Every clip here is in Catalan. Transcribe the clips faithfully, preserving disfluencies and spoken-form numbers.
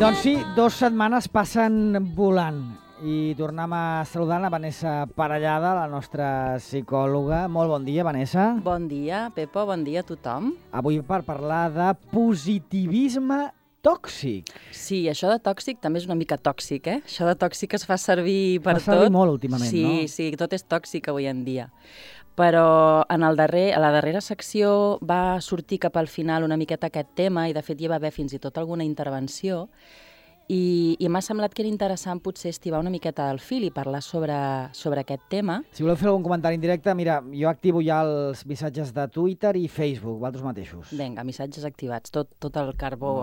Doncs sí, dues setmanes passen volant i tornem a saludar la Vanessa Parellada, la nostra psicòloga. Molt bon dia, Vanessa. Bon dia, Pepo, bon dia a tothom. Avui per parlar de positivisme tòxic. Sí, això de tòxic també és una mica tòxic, eh? Això de tòxic es fa servir per tot. Fa servir tot. molt últimament, sí, no? Sí, sí, tot és tòxic avui en dia. Però en el darrer, a la darrera secció va sortir cap al final una miqueta aquest tema i de fet hi va haver fins i tot alguna intervenció i, i m'ha semblat que era interessant potser estivar una miqueta del fil i parlar sobre, sobre aquest tema. Si voleu fer algun comentari en directe, mira, jo activo ja els missatges de Twitter i Facebook, vosaltres mateixos. Vinga, missatges activats, tot, tot el carbó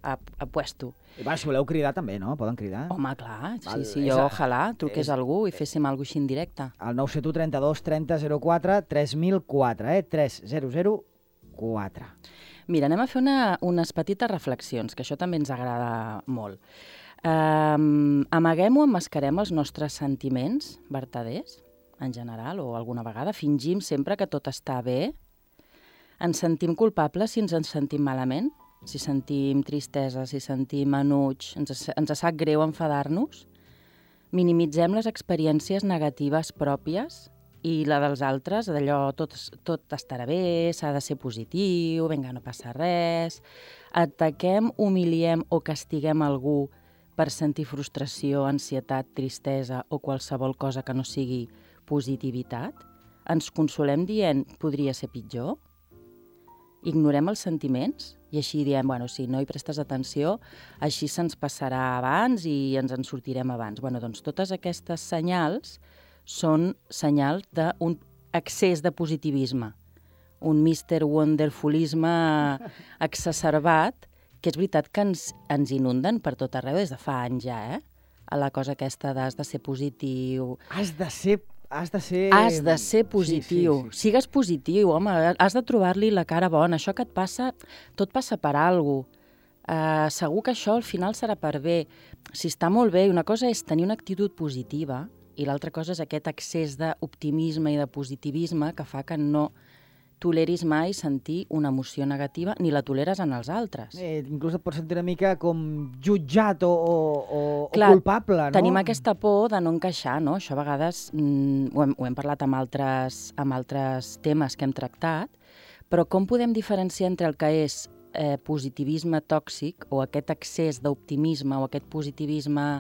a, a puesto. I va, si voleu cridar també, no? Poden cridar. Home, clar, sí, Val, sí, jo a, ojalà truqués és, algú i féssim alguna cosa així en directe. El nou set u trenta-dos trenta zero quatre tres mil quatre, eh? tres zero zero quatre. Mira, anem a fer una, unes petites reflexions, que això també ens agrada molt. Um, amaguem o emmascarem els nostres sentiments vertaders, en general, o alguna vegada fingim sempre que tot està bé? Ens sentim culpables si ens en sentim malament? Si sentim tristesa, si sentim enuig, ens, ens sap greu enfadar-nos? Minimitzem les experiències negatives pròpies i la dels altres, d'allò tot, tot estarà bé, s'ha de ser positiu, vinga, no passa res. Ataquem, humiliem o castiguem algú per sentir frustració, ansietat, tristesa o qualsevol cosa que no sigui positivitat? Ens consolem dient podria ser pitjor? Ignorem els sentiments i així diem, bueno, si no hi prestes atenció, així se'ns passarà abans i ens en sortirem abans. Bueno, doncs totes aquestes senyals són senyals d'un excés de positivisme, un mister Wonderfulisme exacerbat, que és veritat que ens, ens inunden per tot arreu des de fa anys ja, eh? A la cosa aquesta d'has de ser positiu... Has de ser... Has de ser... Has de ser positiu. Sí, sí, sí. Sigues positiu, home, has de trobar-li la cara bona. Això que et passa, tot passa per alguna cosa. Uh, segur que això al final serà per bé. Si està molt bé, una cosa és tenir una actitud positiva i l'altra cosa és aquest excés d'optimisme i de positivisme que fa que no toleris mai sentir una emoció negativa ni la toleres en els altres. Eh, inclús et pots sentir una mica com jutjat o, o, Clar, o culpable, no? Tenim aquesta por de no encaixar, no? Això a vegades mm, ho, hem, ho hem parlat amb altres, amb altres temes que hem tractat, però com podem diferenciar entre el que és eh, positivisme tòxic o aquest excés d'optimisme o aquest positivisme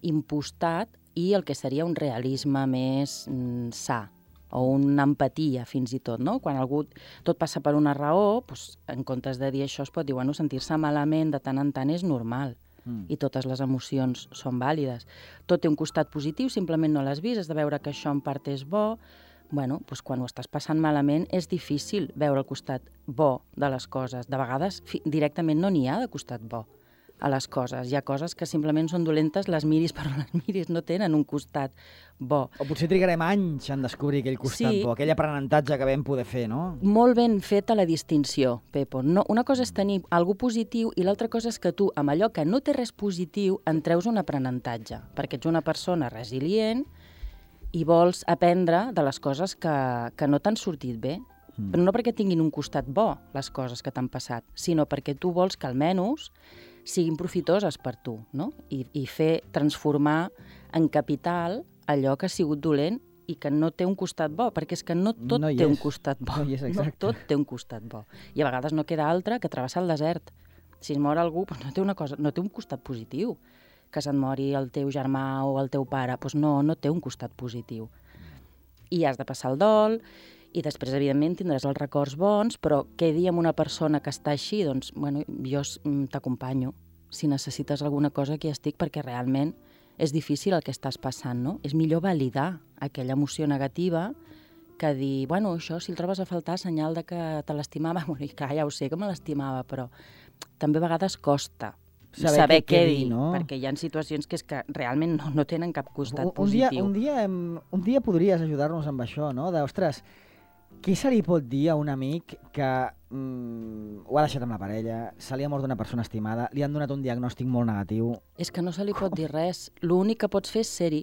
impostat i el que seria un realisme més mm, sa, o una empatia, fins i tot, no? Quan algú tot passa per una raó, doncs, en comptes de dir això es pot dir, bueno, sentir-se malament de tant en tant és normal, mm. i totes les emocions són vàlides. Tot té un costat positiu, simplement no l'has vist, has de veure que això en part és bo. Bueno, doncs quan ho estàs passant malament és difícil veure el costat bo de les coses. De vegades directament no n'hi ha de costat bo a les coses. Hi ha coses que simplement són dolentes, les miris per on les miris, no tenen un costat bo. O potser trigarem anys en descobrir aquell costat sí. bo, aquell aprenentatge que vam poder fer, no? Molt ben feta la distinció, Pepo. No, una cosa és tenir algú positiu i l'altra cosa és que tu, amb allò que no té res positiu, en treus un aprenentatge, perquè ets una persona resilient i vols aprendre de les coses que, que no t'han sortit bé. Mm. Però no perquè tinguin un costat bo, les coses que t'han passat, sinó perquè tu vols que almenys siguin profitoses per tu, no? I, i fer, transformar en capital allò que ha sigut dolent i que no té un costat bo, perquè és que no tot no té és. un costat bo. No, és, no tot té un costat bo. I a vegades no queda altre que travessar el desert. Si es mor algú, doncs no té una cosa, no té un costat positiu. Que se'n mori el teu germà o el teu pare, doncs no, no té un costat positiu. I has de passar el dol, i després, evidentment, tindràs els records bons, però què dir amb una persona que està així? Doncs, bueno, jo t'acompanyo. Si necessites alguna cosa, aquí estic, perquè realment és difícil el que estàs passant, no? És millor validar aquella emoció negativa que dir, bueno, això, si el trobes a faltar, senyal de que te l'estimava. Bueno, i clar, ja ho sé que me l'estimava, però també a vegades costa saber, saber què, què dir, no? Perquè hi ha situacions que és que realment no, no tenen cap costat un, un positiu. Dia, un, dia, un dia podries ajudar-nos amb això, no? De, ostres, què se li pot dir a un amic que mm, ho ha deixat amb la parella, se li ha mort d'una persona estimada, li han donat un diagnòstic molt negatiu? És que no se li pot dir res. L'únic que pots fer és ser-hi.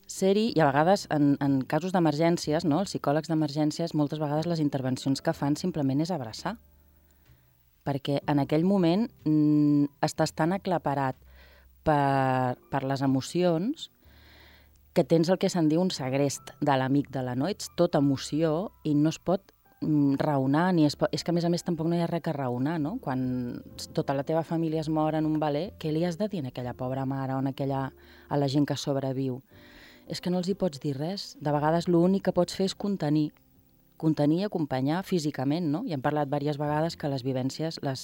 Ser-hi, i a vegades, en, en casos d'emergències, no? Els psicòlegs d'emergències, moltes vegades les intervencions que fan simplement és abraçar. perquè en aquell moment mm, estàs tan aclaparat per, per les emocions que tens el que se'n diu un segrest de l'amígdala, no? Ets tota emoció i no es pot mm, raonar, ni es pot... és que a més a més tampoc no hi ha res que raonar, no? Quan tota la teva família es mor en un veler, què li has de dir a aquella pobra mare o a, aquella, a la gent que sobreviu? És que no els hi pots dir res. De vegades l'únic que pots fer és contenir, contenir i acompanyar físicament, no? I hem parlat diverses vegades que les vivències les,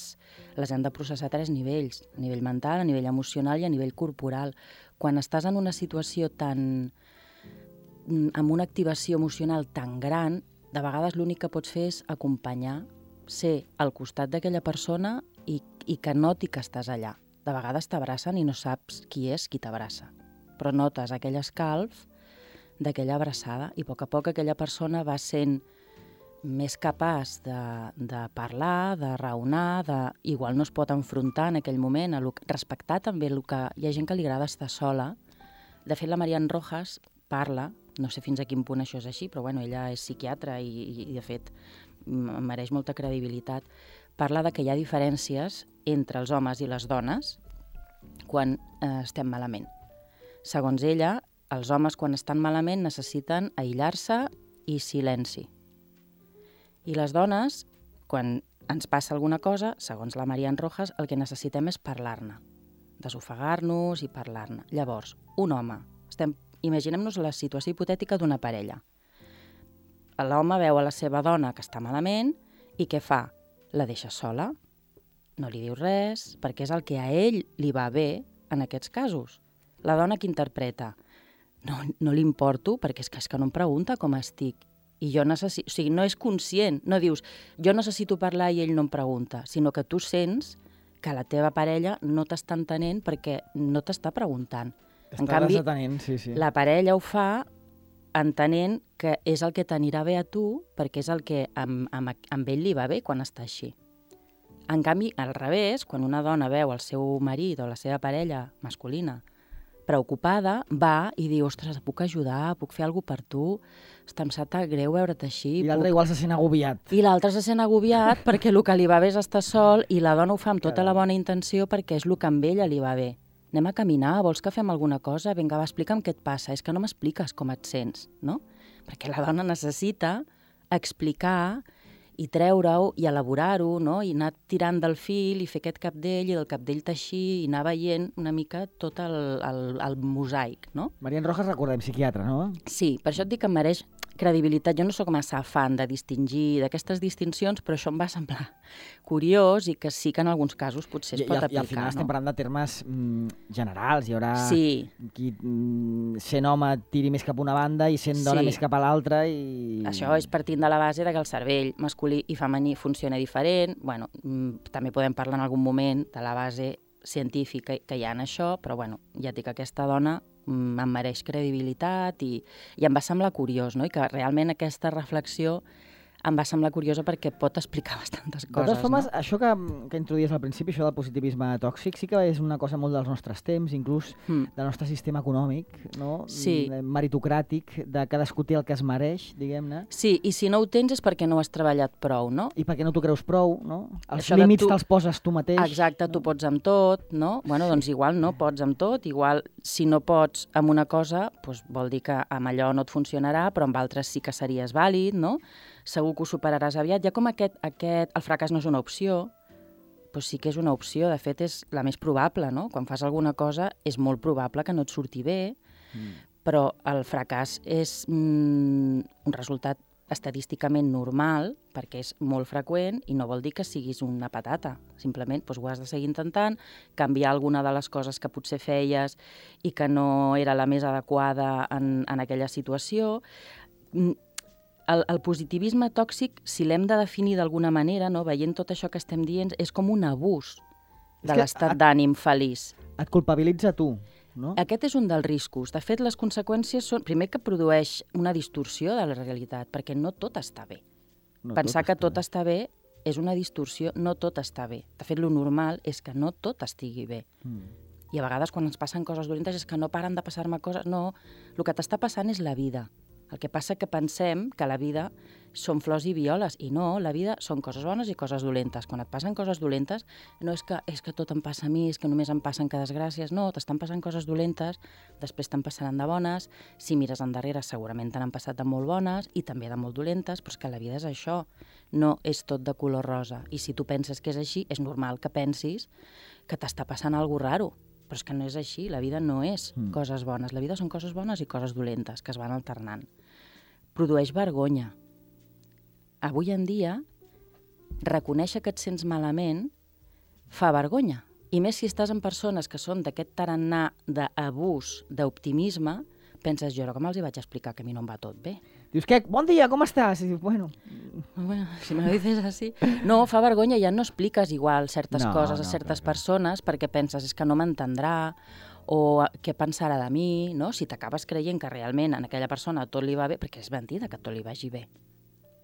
les hem de processar a tres nivells, a nivell mental, a nivell emocional i a nivell corporal. Quan estàs en una situació tan... amb una activació emocional tan gran, de vegades l'únic que pots fer és acompanyar, ser al costat d'aquella persona i, i que noti que estàs allà. De vegades t'abracen i no saps qui és qui t'abraça, però notes aquell escalf d'aquella abraçada i a poc a poc aquella persona va sent més capaç de, de parlar, de raonar, de... igual no es pot enfrontar en aquell moment, a lo... respectar també el que... Hi ha gent que li agrada estar sola. De fet, la Marian Rojas parla, no sé fins a quin punt això és així, però bueno, ella és psiquiatra i, i, i de fet em mereix molta credibilitat, parla de que hi ha diferències entre els homes i les dones quan eh, estem malament. Segons ella, els homes quan estan malament necessiten aïllar-se i silenci. I les dones, quan ens passa alguna cosa, segons la Marian Rojas, el que necessitem és parlar-ne, desofegar-nos i parlar-ne. Llavors, un home, estem, imaginem-nos la situació hipotètica d'una parella. L'home veu a la seva dona que està malament i què fa? La deixa sola, no li diu res, perquè és el que a ell li va bé en aquests casos. La dona que interpreta, no, no li importo perquè és que, és que no em pregunta com estic. I jo necessito, o sigui, no és conscient, no dius, jo necessito parlar i ell no em pregunta, sinó que tu sents que la teva parella no t'està entenent perquè no t'està preguntant. Està en canvi, desatenent, sí, sí. la parella ho fa entenent que és el que t'anirà bé a tu perquè és el que amb, amb, amb ell li va bé quan està així. En canvi, al revés, quan una dona veu el seu marit o la seva parella masculina preocupada, va i diu, ostres, puc ajudar, puc fer alguna cosa per tu, està, em sap greu veure't així. I l'altre puc... igual se sent agobiat. I l'altre se sent agobiat perquè el que li va bé és estar sol i la dona ho fa amb tota la bona intenció perquè és el que amb ella li va bé. Anem a caminar, vols que fem alguna cosa? Vinga, va, explica'm què et passa. És que no m'expliques com et sents, no? Perquè la dona necessita explicar i treure-ho i elaborar-ho, no? I anar tirant del fil i fer aquest capdell i del capdell teixir i anar veient una mica tot el, el, el mosaic, no? Marian Rojas, recordem, psiquiatra, no? Sí, per això et dic que em mereix credibilitat. Jo no sóc massa fan de distingir d'aquestes distincions, però això em va semblar curiós i que sí que en alguns casos potser es I, pot i, aplicar. I al final no? estem parlant de termes mm, generals. Hi haurà sí. qui mm, sent home tiri més cap a una banda i sent dona sí. més cap a l'altra. I... Això és partint de la base de que el cervell masculí i femení funciona diferent. Bueno, mm, també podem parlar en algun moment de la base científica que hi ha en això, però bueno, ja et dic que aquesta dona mm, em mereix credibilitat i, i em va semblar curiós, no? I que realment aquesta reflexió em va semblar curiosa perquè pot explicar bastantes coses. De totes formes, no? això que, que introduïes al principi, això del positivisme tòxic, sí que és una cosa molt dels nostres temps, inclús mm. del nostre sistema econòmic, no? Sí. Meritocràtic, de cadascú té el que es mereix, diguem-ne. Sí, i si no ho tens és perquè no has treballat prou, no? I perquè no t'ho creus prou, no? Els això límits tu... te'ls poses tu mateix. Exacte, no? Tu pots amb tot, no? Bueno, doncs igual no pots amb tot, igual si no pots amb una cosa, doncs vol dir que amb allò no et funcionarà, però amb altres sí que series vàlid, no? Segur que ho superaràs aviat. Ja com aquest, aquest, el fracàs no és una opció, però sí que és una opció, de fet és la més probable, no? Quan fas alguna cosa és molt probable que no et surti bé, mm. però el fracàs és mm, un resultat estadísticament normal, perquè és molt freqüent i no vol dir que siguis una patata. Simplement doncs, ho has de seguir intentant, canviar alguna de les coses que potser feies i que no era la més adequada en, en aquella situació. El, el positivisme tòxic, si l'hem de definir d'alguna manera, no, veient tot això que estem dient, és com un abús de l'estat d'ànim feliç. Et culpabilitza tu, no? Aquest és un dels riscos. De fet, les conseqüències són, primer, que produeix una distorsió de la realitat, perquè no tot està bé. No Pensar tot que tot bé. està bé és una distorsió, no tot està bé. De fet, lo normal és que no tot estigui bé. Mm. I a vegades, quan ens passen coses dolentes, és que no paren de passar-me coses. No, el que t'està passant és la vida. El que passa que pensem que la vida són flors i violes, i no, la vida són coses bones i coses dolentes. Quan et passen coses dolentes, no és que, és que tot em passa a mi, és que només em passen que desgràcies, no, t'estan passant coses dolentes, després te'n passaran de bones, si mires endarrere segurament te n'han passat de molt bones i també de molt dolentes, però és que la vida és això, no és tot de color rosa. I si tu penses que és així, és normal que pensis que t'està passant alguna cosa raro, però és que no és així, la vida no és mm. coses bones, la vida són coses bones i coses dolentes, que es van alternant. Produeix vergonya. Avui en dia, reconèixer que et sents malament fa vergonya. I més si estàs amb persones que són d'aquest tarannà d'abús, d'optimisme, penses, jo com els hi vaig explicar que a mi no em va tot bé. Dius, què? Bon dia, com estàs? I dius, bueno... bueno, si me lo dices así... No, fa vergonya, ja no expliques igual certes no, coses a no, certes clar, persones clar. Perquè penses, és que no m'entendrà, o què pensarà de mi, no? Si t'acabes creient que realment a aquella persona tot li va bé, perquè és mentida que tot li vagi bé.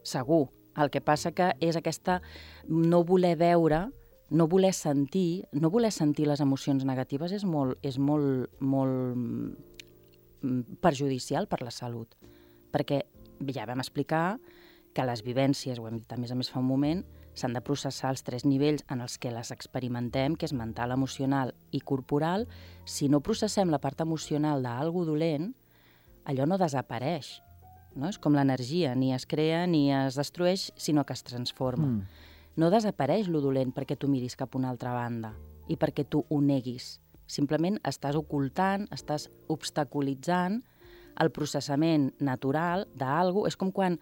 Segur. El que passa que és aquesta no voler veure, no voler sentir, no voler sentir les emocions negatives és molt, és molt, molt perjudicial per la salut. Perquè ja vam explicar que les vivències, ho hem dit a més a més fa un moment, s'han de processar els tres nivells en els que les experimentem, que és mental, emocional i corporal. Si no processem la part emocional d'algú dolent, allò no desapareix. No? És com l'energia, ni es crea ni es destrueix, sinó que es transforma. Mm. No desapareix lo dolent perquè tu miris cap a una altra banda i perquè tu ho neguis. Simplement estàs ocultant, estàs obstaculitzant el processament natural d'algú. És com quan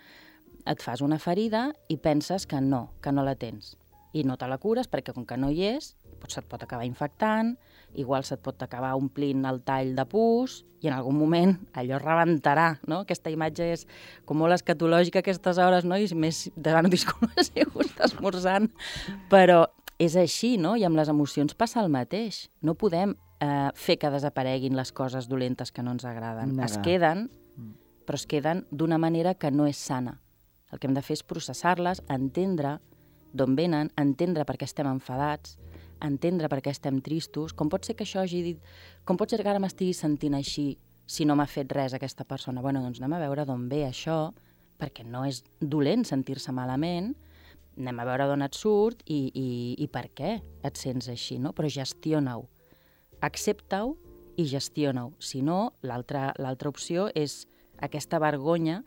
et fas una ferida i penses que no, que no la tens. I no te la cures perquè com que no hi és, doncs se't pot acabar infectant, igual se't pot acabar omplint el tall de pus i en algun moment allò rebentarà, no? Aquesta imatge és com molt escatològica a aquestes hores, no? I més demano disculpes si ho estàs esmorzant, però és així, no? I amb les emocions passa el mateix. No podem eh, fer que desapareguin les coses dolentes que no ens agraden. Negar. Es queden, però es queden d'una manera que no és sana. El que hem de fer és processar-les, entendre d'on venen, entendre per què estem enfadats, entendre per què estem tristos. Com pot ser que això hagi dit... Com pot ser que ara m'estigui sentint així si no m'ha fet res aquesta persona? Bueno, doncs anem a veure d'on ve això, perquè no és dolent sentir-se malament, anem a veure d'on et surt i, i, i per què et sents així, no? Però gestiona-ho. Accepta-ho i gestiona-ho. Si no, l'altra l'altra opció és aquesta vergonya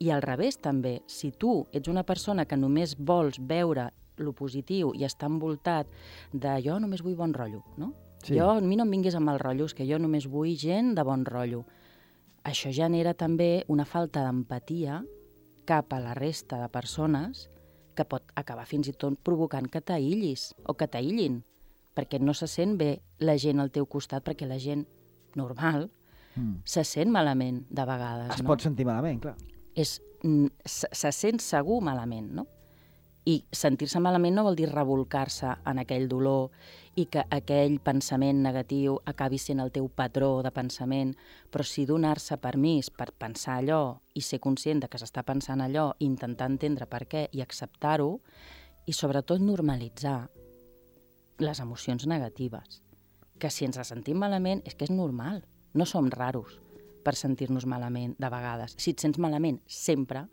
i al revés també. Si tu ets una persona que només vols veure lo positiu i està envoltat de jo només vull bon rotllo, no? Sí. Jo, a mi no em vinguis amb els rotllos, que jo només vull gent de bon rotllo. Això genera també una falta d'empatia cap a la resta de persones que pot acabar fins i tot provocant que t'aïllis o que t'aïllin, perquè no se sent bé la gent al teu costat, perquè la gent normal mm. se sent malament de vegades. Es no? pot sentir malament, clar. És, se, se sent segur malament, no? I sentir-se malament no vol dir rebolcar-se en aquell dolor i que aquell pensament negatiu acabi sent el teu patró de pensament, però sí donar-se permís per pensar allò i ser conscient de que s'està pensant allò, intentar entendre per què i acceptar-ho, i sobretot normalitzar les emocions negatives. Que si ens sentim malament és que és normal, no som raros per sentir-nos malament de vegades. Si et sents malament sempre,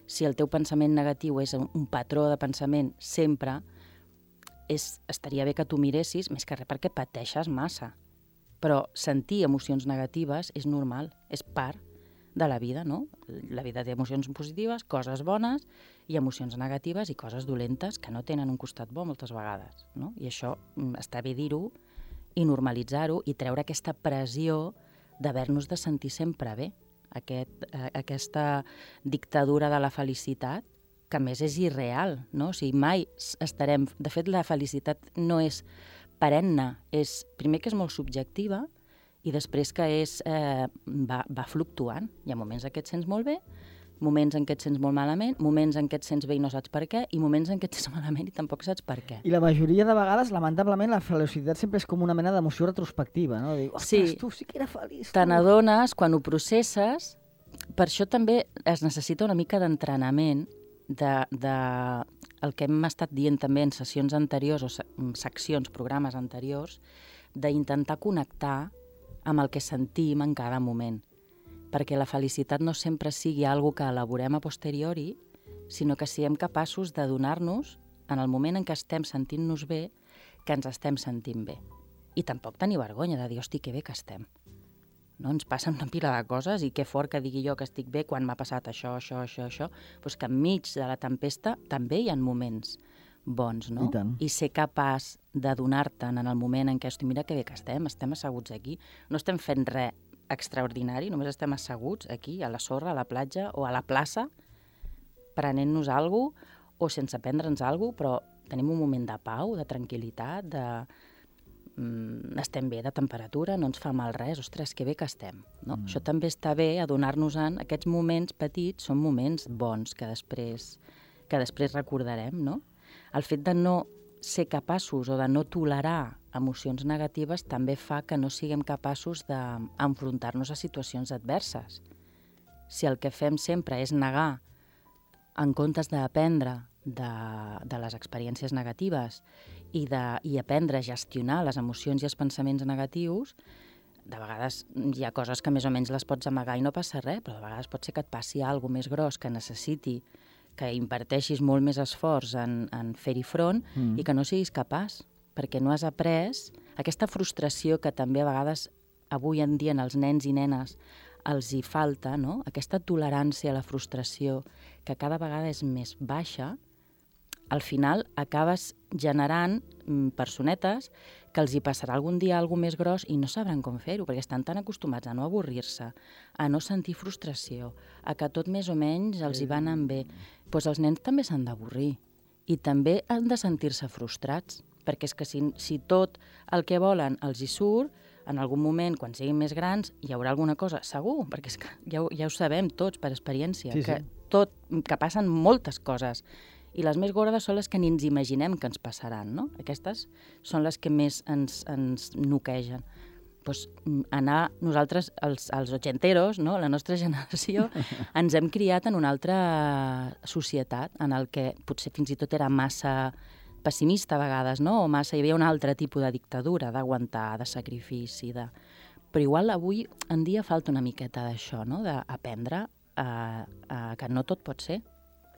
si el teu pensament negatiu és un patró de pensament sempre, és, estaria bé que tu miressis, més que res perquè pateixes massa. Però sentir emocions negatives és normal, és part de la vida, no? La vida té emocions positives, coses bones, i emocions negatives i coses dolentes que no tenen un costat bo moltes vegades, no? I això està bé dir-ho i normalitzar-ho i treure aquesta pressió d'haver-nos de sentir sempre bé. Aquest, eh, aquesta dictadura de la felicitat, que a més és irreal, no? O sigui, mai estarem... De fet, la felicitat no és perenne, és primer que és molt subjectiva i després que és, eh, va, va fluctuant. Hi ha moments en què et sents molt bé, moments en què et sents molt malament, moments en què et sents bé i no saps per què, i moments en què et sents malament i tampoc saps per què. I la majoria de vegades, lamentablement, la felicitat sempre és com una mena d'emoció retrospectiva, no? Dic, ostres, sí, tu sí que era feliç. Te n'adones, quan ho processes, per això també es necessita una mica d'entrenament de, de el que hem estat dient també en sessions anteriors o seccions, programes anteriors, d'intentar connectar amb el que sentim en cada moment. perquè la felicitat no sempre sigui algo que elaborem a posteriori, sinó que siguem capaços de donar-nos, en el moment en què estem sentint-nos bé, que ens estem sentint bé. I tampoc tenir vergonya de dir, hosti, que bé que estem. No? Ens passen una pila de coses i que fort que digui jo que estic bé quan m'ha passat això, això, això, això, doncs que enmig de la tempesta també hi ha moments bons, no? I tant. I ser capaç de donar-te'n en el moment en què, hosti, mira que bé que estem, estem asseguts aquí, no estem fent res extraordinari, només estem asseguts aquí, a la sorra, a la platja o a la plaça, prenent-nos alguna cosa o sense prendre'ns alguna cosa, però tenim un moment de pau, de tranquil·litat, de... Mm, estem bé de temperatura, no ens fa mal res, ostres, que bé que estem. No? Mm. Això també està bé, adonar-nos-en, aquests moments petits són moments bons que després, que després recordarem, no? El fet de no ser capaços o de no tolerar emocions negatives també fa que no siguem capaços d'enfrontar-nos a situacions adverses. Si el que fem sempre és negar en comptes d'aprendre de, de les experiències negatives i, de, i aprendre a gestionar les emocions i els pensaments negatius, de vegades hi ha coses que més o menys les pots amagar i no passa res, però de vegades pot ser que et passi alguna cosa més gros que necessiti que inverteixis molt més esforç en, en fer-hi front mm. i que no siguis capaç, perquè no has après aquesta frustració que també a vegades avui en dia en els nens i nenes els hi falta, no? Aquesta tolerància a la frustració que cada vegada és més baixa, al final acabes generant mm, personetes que els hi passarà algun dia alguna més gros i no sabran com fer-ho, perquè estan tan acostumats a no avorrir-se, a no sentir frustració, a que tot més o menys els hi va anant bé. Doncs els nens també s'han d'avorrir i també han de sentir-se frustrats, perquè és que si, si tot el que volen els hi surt, en algun moment, quan siguin més grans, hi haurà alguna cosa, segur, perquè és que ja, ho, ja ho sabem tots per experiència, sí, que, sí. Tot, que passen moltes coses. I les més gordes són les que ni ens imaginem que ens passaran, no? Aquestes són les que més ens, ens noquegen. Pues, anar, nosaltres, els, els ochenteros, no? La nostra generació, ens hem criat en una altra societat, en el que potser fins i tot era massa pessimista a vegades, no? O massa, hi havia un altre tipus de dictadura, d'aguantar, de sacrifici, de... Però igual avui en dia falta una miqueta d'això, no? D'aprendre a, a, que no tot pot ser.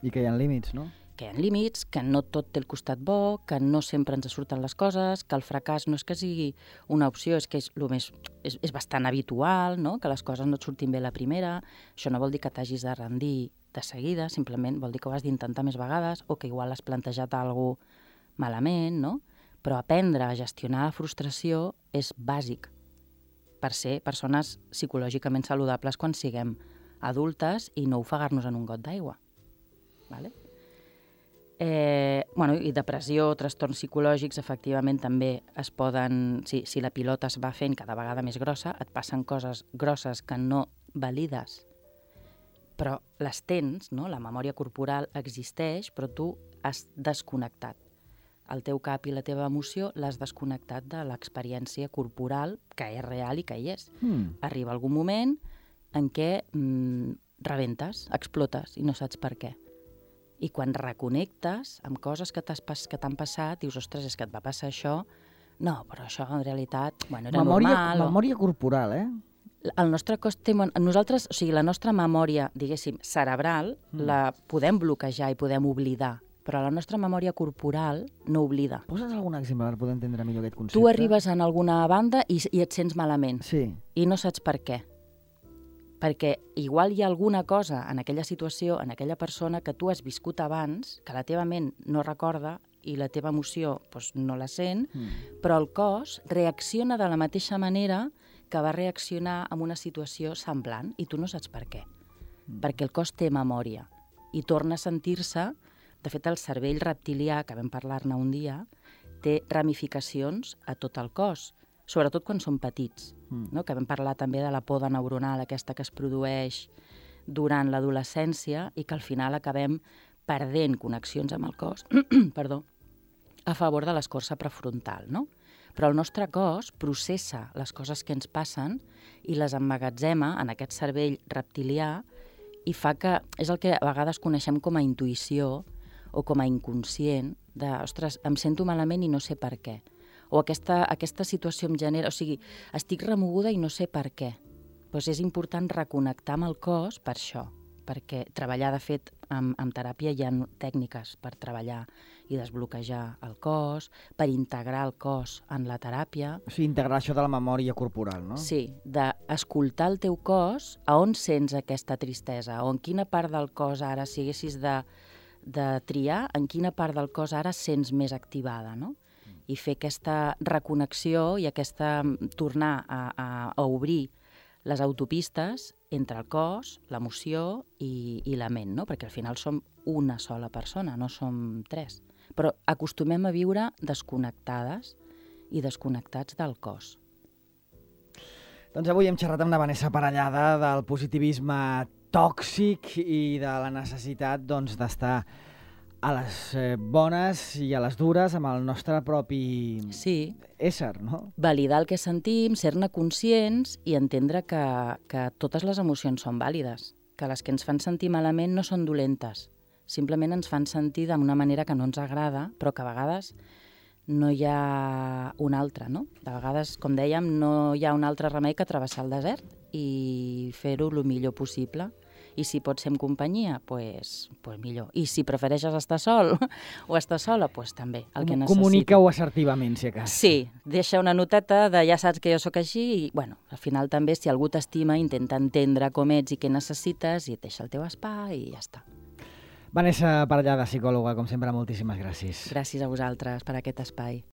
I que hi ha límits, no? Que hi ha límits, que no tot té el costat bo, que no sempre ens surten les coses, que el fracàs no és que sigui una opció, és que és, lo més, és, és bastant habitual, no? Que les coses no et surtin bé la primera. Això no vol dir que t'hagis de rendir de seguida, simplement vol dir que ho has d'intentar més vegades o que igual has plantejat alguna cosa malament, no? Però aprendre a gestionar la frustració és bàsic per ser persones psicològicament saludables quan siguem adultes i no ofegar-nos en un got d'aigua. Vale? Eh, bueno, i depressió, trastorns psicològics, efectivament també es poden... Si, si la pilota es va fent cada vegada més grossa, et passen coses grosses que no valides, però les tens, no? La memòria corporal existeix, però tu has desconnectat. El teu cap i la teva emoció l'has desconnectat de l'experiència corporal, que és real i que hi és. Mm. Arriba algun moment en què mm, rebentes, explotes i no saps per què. I quan reconnectes amb coses que t'han passat, dius, ostres, és que et va passar això, no, però això en realitat, bueno, era memòria, normal. Memòria corporal, eh? El nostre cos té... Nosaltres, o sigui, la nostra memòria, diguéssim, cerebral, mm. la podem bloquejar i podem oblidar, però la nostra memòria corporal no oblida. Posa'ns algun exemple per poder entendre millor aquest concepte? Tu arribes en alguna banda i, i et sents malament. Sí. I no saps per què. Perquè igual hi ha alguna cosa en aquella situació, en aquella persona que tu has viscut abans, que la teva ment no recorda i la teva emoció doncs, no la sent, mm. però el cos reacciona de la mateixa manera que va reaccionar en una situació semblant i tu no saps per què. Mm. Perquè el cos té memòria i torna a sentir-se. De fet, el cervell reptilià, que vam parlar-ne un dia, té ramificacions a tot el cos, sobretot quan són petits, mm. no? Que vam parlar també de la poda neuronal, aquesta que es produeix durant l'adolescència i que al final acabem perdent connexions amb el cos perdó, a favor de l'escorça prefrontal, no? Però el nostre cos processa les coses que ens passen i les emmagatzema en aquest cervell reptilià i fa que, és el que a vegades coneixem com a intuïció o com a inconscient, de, ostres, em sento malament i no sé per què. O aquesta, aquesta situació em genera... O sigui, estic remoguda i no sé per què. Doncs és important reconnectar amb el cos per això, perquè treballar, de fet, amb, amb teràpia hi ha tècniques per treballar i desbloquejar el cos, per integrar el cos en la teràpia. O sigui, integrar això de la memòria corporal, no? Sí, d'escoltar el teu cos, a on sents aquesta tristesa, o en quina part del cos ara, si haguessis de, de triar, en quina part del cos ara sents més activada, no? I fer aquesta reconnexió i aquesta tornar a, a, a obrir les autopistes entre el cos, l'emoció i, i la ment, no? Perquè al final som una sola persona, no som tres. Però acostumem a viure desconnectades i desconnectats del cos. Doncs avui hem xerrat amb la Vanessa Parellada del positivisme tòxic i de la necessitat doncs, d'estar a les eh, bones i a les dures amb el nostre propi sí. ésser, no? Validar el que sentim, ser-ne conscients i entendre que, que totes les emocions són vàlides, que les que ens fan sentir malament no són dolentes, simplement ens fan sentir d'una manera que no ens agrada, però que a vegades no hi ha una altra, no? De vegades, com dèiem, no hi ha un altre remei que travessar el desert i fer-ho el millor possible. I si pots ser en companyia, doncs pues, pues millor. I si prefereixes estar sol o estar sola, doncs pues també, el que necessitis. Comunica-ho assertivament, si a cas. Sí, deixa una noteta de ja saps que jo sóc així i, bueno, al final també, si algú t'estima, intenta entendre com ets i què necessites i et deixa el teu espai i ja està. Vanessa Parellada, psicòloga, com sempre, moltíssimes gràcies. Gràcies a vosaltres per aquest espai.